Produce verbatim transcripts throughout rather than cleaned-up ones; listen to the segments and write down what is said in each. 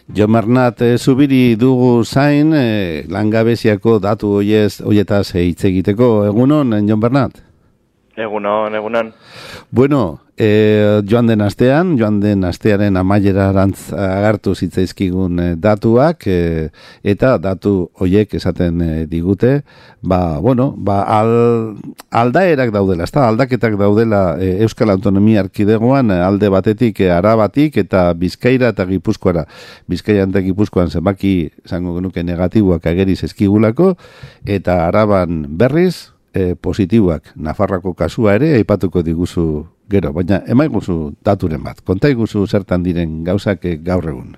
Jon Bernat e, Zubiri dugu zain, e, langabeziako datu hoiez, hoietaz hitz egiteko. Egunon, Jon Bernat? Egunon, egunon. Bueno, e, joan den astean, joan den astearen amaierarantz agartu zitzaizkigun e, datuak, e, eta datu hoiek esaten e, digute, ba, bueno, ba, al, aldaerak daudela, ez da, aldaketak daudela e, Euskal Autonomia Erkidegoan alde batetik, e, Arabatik eta Bizkaira eta Gipuzkoara. Bizkaian eta Gipuzkoan zenbaki, zango genuke negatiboak ageriz eskigulako, eta Araban berriz, E, positiboak, Nafarroako kasua ere aipatuko diguzu gero, baina emaiguzu daturen bat, konta iguzu zertan diren gauzak gaur egun.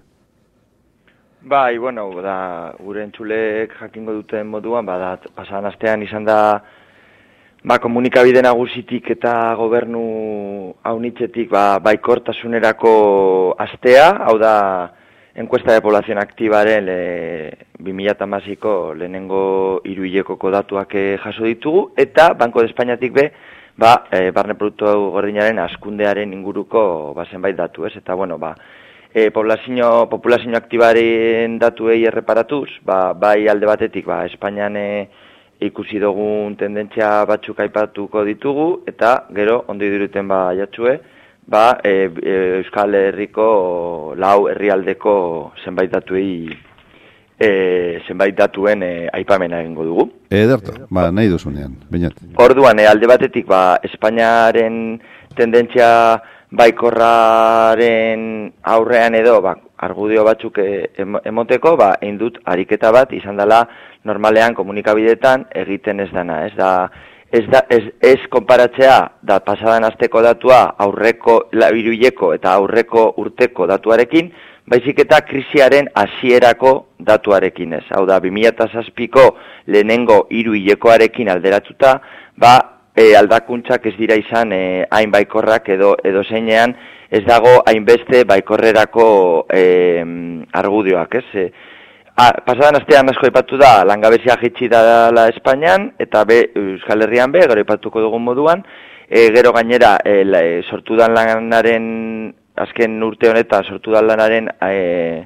Bai, bueno, da, gure entzulek jakingo duten moduan, ba, da, pasadan astean izan da, ba, komunikabide nagusitik eta gobernu haunitzetik, ba, baikortasunerako astea, hau da, encuesta de población activaren e, bi mila hamaseiko lehenengo hiruhilekoko datuak jaso ditugu, eta Banco de Espainiatik be, ba, e, barne produktu gordinaren askundearen inguruko ba, zenbait datu, ez? Eta, bueno, ba, e, populazio, populazio aktibaren datuei erreparatuz, ba, bai alde batetik, ba, Espainian e, ikusi dugun tendentzia batzuk aipatuko ditugu, eta gero, ondo iduruten ba, jatxue, ba, e, e, Euskal Herriko lau herrialdeko zenbait datuei e, zenbait datuen e, aipamena egingo dugu. Ederto, ba, nahi duzunean, bainat. Orduan, e, alde batetik, ba, Espainiaren tendentzia baikorraren aurrean edo, ba, argudio batzuk e, emoteko, ba, egin dut ariketa bat izan dela normalean komunikabideetan egiten ez dana, ez da, Ez, da, ez, ez konparatzea da pasadan asteko datua aurreko hiruhileko eta aurreko urteko datuarekin, baizik eta krisiaren hasierako datuarekin ez. Hau da, bi mila zazpiko lehenengo hiruhilekoarekin alderatuta, ba, e, aldakuntzak ez dira izan e, hain baikorrak edo, edo zeinean ez dago hainbeste baikorrerako e, argudioak, ez? E, Ah, pasadan astean asko aipatu da, langabezia jaitsi dela Espainian, eta be, Euskal Herrian be, gero aipatuko dugun moduan, e, gero gainera, e, la, e, sortu dan lanaren, azken urte honetan, sortu dan lanaren e,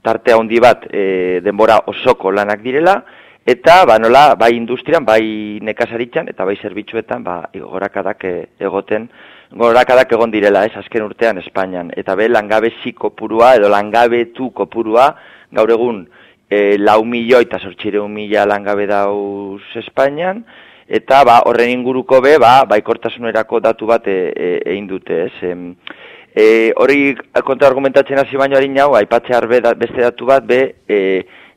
tarte handi bat e, denbora osoko lanak direla, eta, ba, nola, bai industrian, bai nekazaritzan, eta bai zerbitzuetan, ba, gorakadak egoten, gorakadak egon direla, ez, azken urtean Espainian, eta be, langabezi kopurua, edo langabetu kopurua, gaur egun, E, lau milioi eta zortzireun mila langabe dauz Espainian, eta ba, horren inguruko be, ba, baikortasunerako datu bat egin e, dute, ez? E, e, hori kontraargumentatzen hasi baino harin hau, aipatzear be, da, beste datu bat, be, e,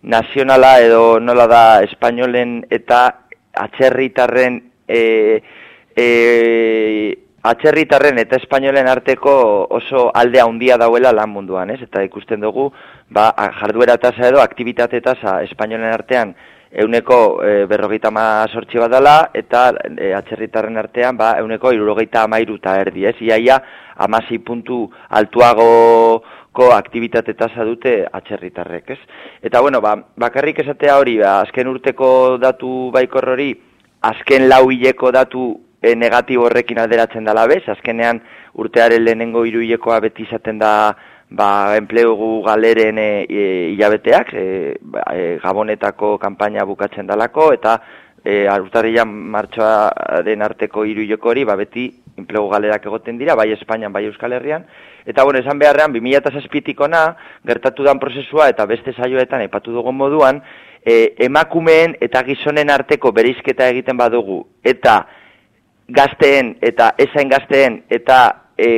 nazionala edo nola da espainolen eta atzerritarren e, e, atzerritarren eta espainolen arteko oso alde handia dauela lan munduan, ez? Eta ikusten dugu, ba, jarduera tasa edo aktibitate tasa espainolen artean euneko e, berrogeita mazortzi bat dela, eta e, atzerritarren artean, ba, euneko hirurogeita hamairu eta erdi, ez? Iaia, hamasei puntu altuagoko aktibitate tasa dute atzerritarrek, ez? Eta, bueno, ba, bakarrik esatea hori, ba, azken urteko datu baikor hori, azken lau hileko datu E, negatibo horrekin alderatzen dela bez, azkenean urtearen lehenengo hiruhilekoa beti izaten da ba, enplegu galeren e, e, hilabeteak, e, e, Gabonetako kanpaina bukatzen dalako, eta e, urtarrilan martxoaren arteko hiruhileko hori, ba, beti enplegu galerak egoten dira, bai Espainian, bai Euskal Herrian, eta bueno, esan beharrean, bi mila zazpitik ona, gertatu dan prozesua, eta beste saioetan aipatu dugun moduan, e, emakumeen eta gizonen arteko bereizketa egiten badugu, eta gazteen eta ezain gazteen eta e,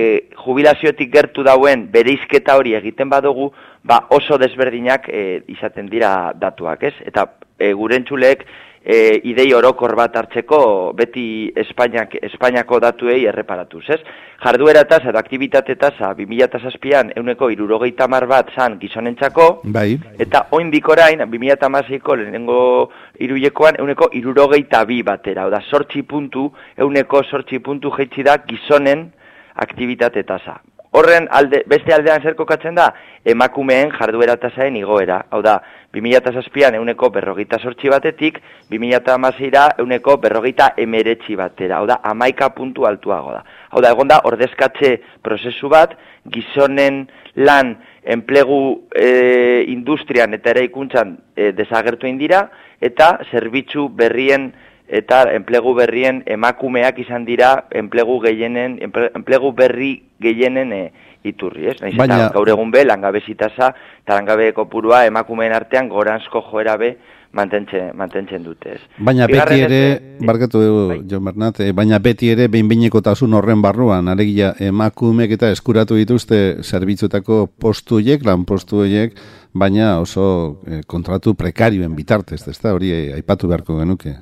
jubilaziotik gertu dauen bereizketa hori egiten badugu, ba oso desberdinak e, izaten dira datuak, ez? Eta e, gure entzulek e, idei orokor bat hartzeko beti Espainiak, Espainiako datuei erreparatuz, ez? Jarduera tasa edo aktibitate tasa bi mila zazpian euneko hirurogeita hamar bat zan gizonentzako, bai. Eta oraindik orain bi mila hamaseiko lehenengo hiruhilekoan euneko hirurogeita bi batera, oda zortzi puntu, euneko zortzi puntu jaitsi da gizonen aktibitate tasa. Horren alde, beste aldean zer kokatzen da, emakumeen jarduera tasaen igoera. Hau da, bi mila zazpian euneko berrogeita zortzi batetik, bi mila hamaseira euneko berrogeita emeretzi batera. Hau da, hamaika puntu altuago da. Hau da, egon da, ordezkatze prozesu bat, gizonen lan enplegu e, industrian eta eraikuntzan e, desagertu indira, eta zerbitzu berrien eta enplegu berrien emakumeak izan dira enplegu gehienen, enplegu berri gehienen e, iturri, ez? Naiz Baina... eta gaur egun be, langabezi tasa eta langabe kopurua emakumeen artean goranzko joera be mantentzen, mantentzen dute, ez? Baina beti ere, barkatu dugu, bai. Jon Bernat, baina beti ere behin-behinekotasun horren barruan, alegia emakumeek eta eskuratu dituzte zerbitzutako postuiek, lan postuiek, baina oso eh, kontratu prekarioen bitartez, ezta hori eh, aipatu beharko genuke.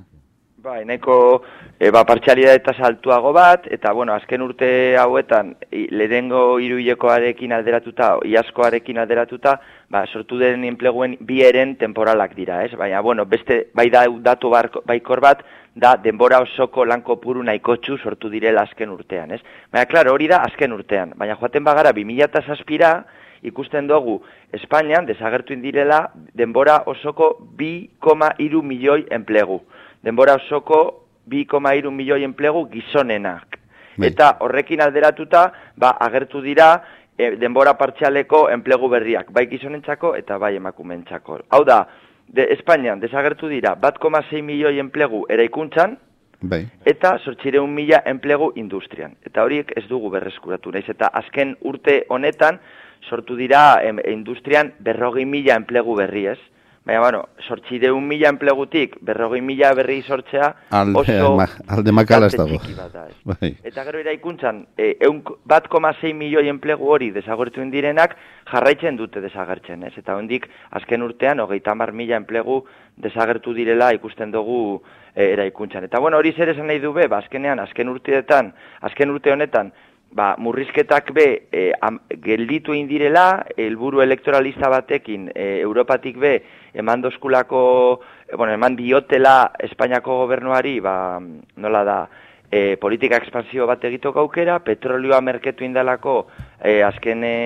Bai, nahiko e, ba, partxalidadeta saltuago bat, eta bueno, azken urte hauetan, lehenengo hiruhilekoarekin alderatuta, iazkoarekin alderatuta, ba, sortu den enpleguen bi eren temporalak dira, ez? Baina, bueno, beste, bai da datu barko, baikor bat, da denbora osoko lan kopuru nahikotxu sortu direla azken urtean, ez? Baina, klaro, hori da azken urtean, baina joaten bagara bi mila zazpira, ikusten dugu Espainian desagertu indirela denbora osoko bi koma hiru milioi enplegu. Denbora osoko bi koma hiru milioi enplegu gizonenak. Bai. Eta horrekin alderatuta, ba, agertu dira e, denbora partzialeko enplegu berriak, bai gizonentzako eta bai emakumentzako. Hau da, de Espainian desagertu dira bat koma sei milioi enplegu eraikuntzan, bai. Eta zortziehun mila enplegu industrian. Eta horiek ez dugu berreskuratu, naiz eta azken urte honetan sortu dira em, industrian berrogei mila enplegu berri, ez? Baina, bueno, zortziehun mila enplegutik berrogei mila berri sortzea alde, oso ma, alde makala ez dago. Da, ez? Bai. Eta gero eraikuntzan, e, bat koma sei milioi enplegu hori desagertu indirenak jarraitzen dute desagertzen, ez? Eta hondik azken urtean hogeita hamar mila enplegu desagertu direla ikusten dugu e, eraikuntzan. Eta bueno, hori zer esan nahi du be, ba, azkenean, azken urteetan, azken urte honetan, ba, murrizketak be e, am, gelditu indirela, helburu elektoralista batekin e, Europatik be eman doskulako, e, bueno, eman diotela Espainiako gobernuari, ba, nola da, e, politika ekspansio bat egitoko aukera, petrolioa merketu indalako e, azken e,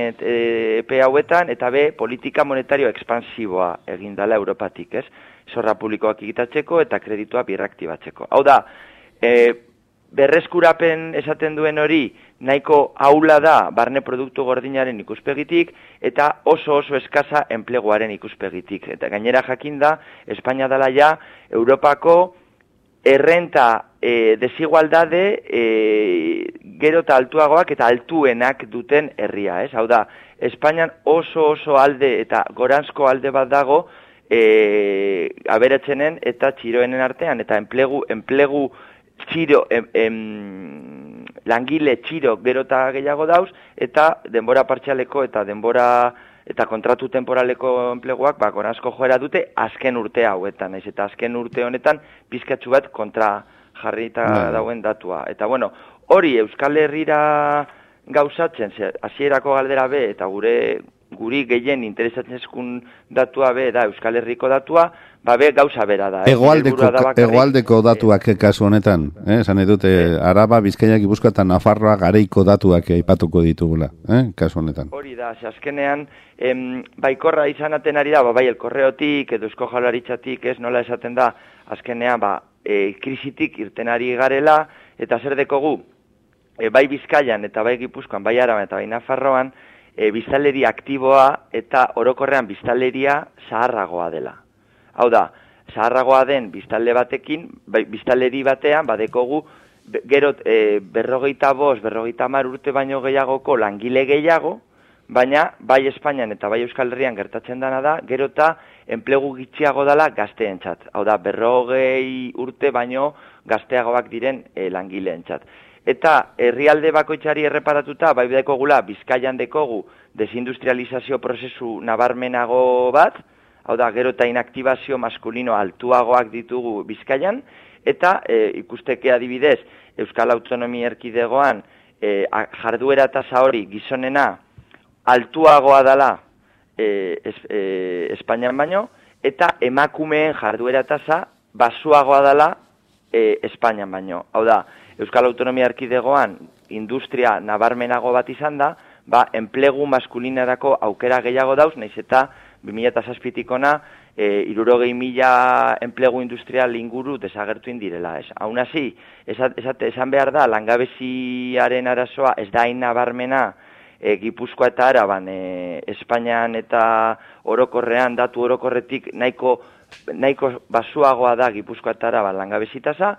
epe hauetan, eta be politika monetario ekspansiboa egindala Europatik, ez? Zorra publikoak egitatzeko eta kreditua birraktibatzeko. Hau da, e, berreskurapen esaten duen hori nahiko aula da barne produktu gordinaren ikuspegitik eta oso oso eskaza enpleguaren ikuspegitik. Eta gainera jakin da, Espainia dela ja Europako errenta e, desigualdade e, gero eta altuagoak eta altuenak duten herria, ez? Hau da, Espainian oso oso alde eta goranzko alde bat dago e, aberatzenen eta txiroenen artean, eta enplegu, enplegu txiro, em, em, langile txiro gero eta gehiago dauz, eta denbora partzialeko eta denbora eta kontratu temporaleko enpleguak ba, goranzko joera dute azken urte hauetan, naiz eta azken urte honetan pizkatxu bat kontra jarrita no. dauen datua. Eta bueno, hori Euskal Herrira gauzatzen, hasierako galdera be, eta gure guri gehien interesatzen eskun datua be, da Euskal Herriko datua, ba be gauza bera da. Egoaldeko, egoaldeko datuak eh, kasu honetan, eh? Esan edute, eh. Araba, Bizkaia, Gipuzkoa eta Nafarroa gareiko datuak aipatuko ditugula, eh? Kasu honetan. Hori da, azkenean, em, baikorra izanaten ari da, ba, bai, elkorreotik, edo Eusko Jaurlaritzatik, ez nola esaten da, azkenean, ba, e, krisitik irten ari garela, eta zer dekogu, e, bai Bizkaian eta bai Gipuzkoan, bai Araban eta bai Nafarroan, E, biztanleria aktiboa eta orokorrean biztanleria zaharragoa dela. Hau da, zaharragoa den biztanle batekin, biztanleri batean, badekogu, gero e, berrogeita bost, berrogeita hamar urte baino gehiagoko langile gehiago, baina bai Espainian eta bai Euskal Herrian gertatzen dana da, gero eta enplegu gitxiago dela gazteentzat. Hau da, berrogei urte baino gazteagoak diren e, langileentzat. Eta herrialde bakoitzari erreparatuta, bai dekogula Bizkaian dekogu desindustrializazio prozesu nabarmenago bat, hau da, gero eta inaktibazio maskulino altuagoak ditugu Bizkaian, eta e, ikusteke adibidez, Euskal Autonomia Erkidegoan e, jarduera tasa hori gizonena altuagoa dela e, es, e, Espainian baino, eta emakumeen jarduera tasa basuagoa dela e, Espainian baino. Hau da, Euskal Autonomia Erkidegoan industria nabarmenago bat izan da, ba, enplegu maskulinarako aukera gehiago dauz, naiz eta bi mila zazpitik ona e, hirurogei mila enplegu industrial inguru desagertu indirela. Ez. Aun hasi, esan behar da, langabeziaren arazoa ez da hain nabarmena e, Gipuzkoa eta Araban, e, Espainian eta orokorrean, datu orokorretik nahiko, nahiko basuagoa da Gipuzkoa eta Araban langabezi tasa,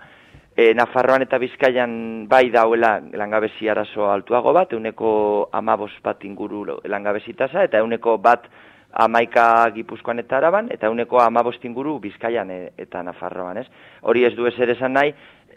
e, Nafarroan eta Bizkaian bai dauela langabezi arazo altuago bat, euneko amabost bat inguru langabezi tasa, eta euneko bat amaika Gipuzkoan eta Araban, eta euneko amabost inguru Bizkaian eta Nafarroan, ez? Hori ez du ezer esan nahi,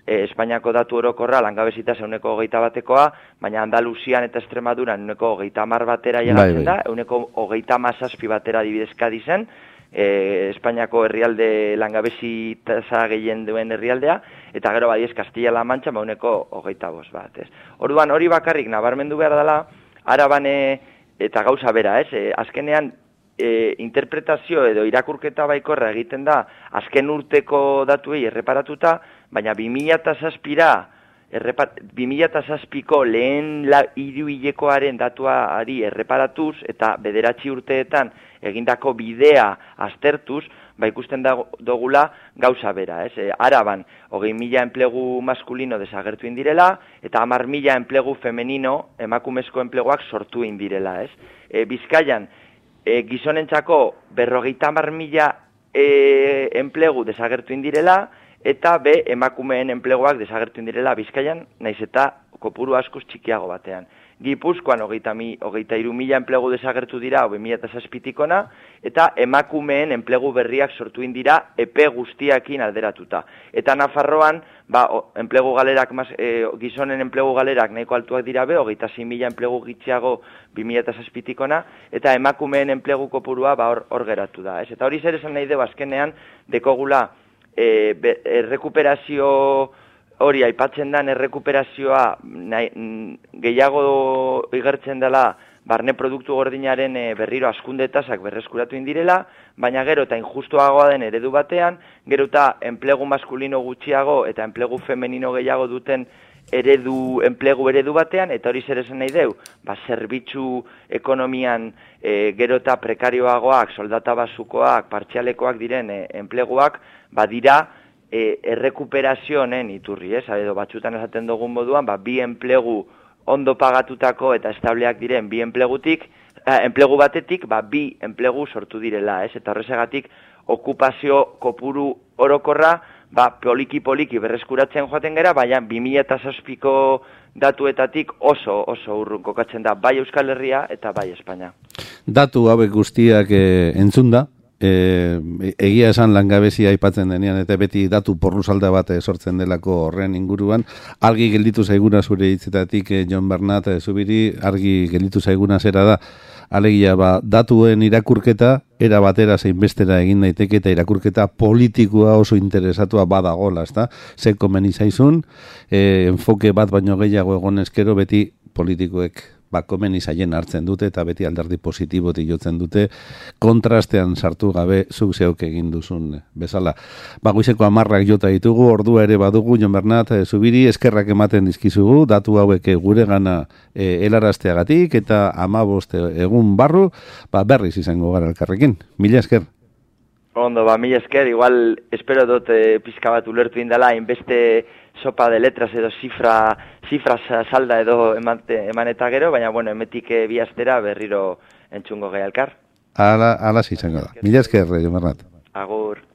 e, Espainiako datu orokorra langabezitaz euneko hogeita batekoa, baina Andaluzian eta Extremaduran euneko hogeita hamar batera llegatzen da, euneko hogeita hamazazpi batera dibidezka dizen, e, Espainiako herrialde langabezitasa gehien duen herrialdea, eta gero badiez Castilla-La Mancha euneko hogeita bost bat, ez? Orduan hori bakarrik nabarmendu behar dela, Araban eta gauza bera, ez? E, azkenean, E, interpretazio edo irakurketa baikorra egiten da azken urteko datuei erreparatuta, baina bi mila zazpira, bi mila zazpiko lehen hiruhilekoaren datuari erreparatuz eta bederatzi urteetan egindako bidea aztertuz, ba ikusten dugula gauza bera, ez? E, Araban, hogei mila enplegu maskulino desagertu indirela, eta hamar mila enplegu femenino, emakumezko enpleguak sortu indirela, ez? E, Bizkaian, E, gizonentzako berrogeita hamar mila e, enplegu desagertu indirela, eta be emakumeen enpleguak desagertu indirela Bizkaian, naiz eta kopuru askoz txikiago batean. Gipuzkoan hogeita, hogeita iru mila enplegu desagertu dira, hogei mila eta zazpitikona, eta emakumeen enplegu berriak sortu indira epe guztiakin alderatuta. Eta Nafarroan, ba, enplegu galerak, e, gizonen enplegu galerak nahiko altuak dira be, hogeita sei mila enplegu gitxiago bi mila eta zazpitikona, eta emakumeen enplegu kopurua ba, hor, hor geratu da. Ez? Eta hori zer esan nahi dugu azkenean, dekogula e, be, errekuperazio hori aipatzen den errekuperazioa nahi, gehiago igertzen dela barne produktu gordinaren e, berriro askundetasak berreskuratu indirela, baina gero eta injustuagoa den eredu batean, gero eta enplegu maskulino gutxiago eta enplegu femenino gehiago duten eredu, enplegu eredu batean, eta hori zer esan nahi deu, ba, zerbitzu ekonomian e, gero eta prekarioagoak, soldata basukoak, partzialekoak diren e, enpleguak, ba dira, E, errekuperazio honen iturri, ez? Edo batzutan esaten dugun moduan, ba, bi enplegu ondo pagatutako eta estableak diren bi enplegutik, eh, enplegu batetik, ba, bi enplegu sortu direla, ez? Eta horrezegatik okupazio kopuru orokorra, ba, poliki-poliki berreskuratzen joaten gera, baina bi mila zazpiko datuetatik oso, oso urrun kokatzen da, bai Euskal Herria eta bai Espainia. Datu hauek guztiak eh, entzunda, E, egia esan langabezia aipatzen denean eta beti datu porrusalda bat sortzen delako horren inguruan, argi gelditu zaiguna zure hitzetatik, eh, Jon Bernat, eh, Zubiri, argi gelditu zaiguna zera da, alegia ba, datuen irakurketa era batera zein bestera egin daiteke eta irakurketa politikoa oso interesatua badagola, ezta? Ze komeni zaizun, eh, enfoke bat baino gehiago egon eskero beti politikoek ba, komeni zaien hartzen dute eta beti alderdi positibotik jotzen dute, kontrastean sartu gabe zuk zeuk egin duzun bezala. Ba, goizeko amarrak jota ditugu, ordua ere badugu, Jon Bernat, e, Zubiri, eskerrak ematen dizkizugu, datu hauek gure gana e, helarazteagatik eta amabost egun barru, ba, berriz izango gara elkarrekin. Mila esker. Ondo, ba, mila esker, igual espero dut e, pizka bat ulertu indala, inbeste sopa de letras edo zifra, zifra salda edo emante, eman eta gero, baina, bueno, emetik e, bi astera berriro entzungo gehi elkar. Ala, ala izango da. Mila esker, Jon Bernat. Agur.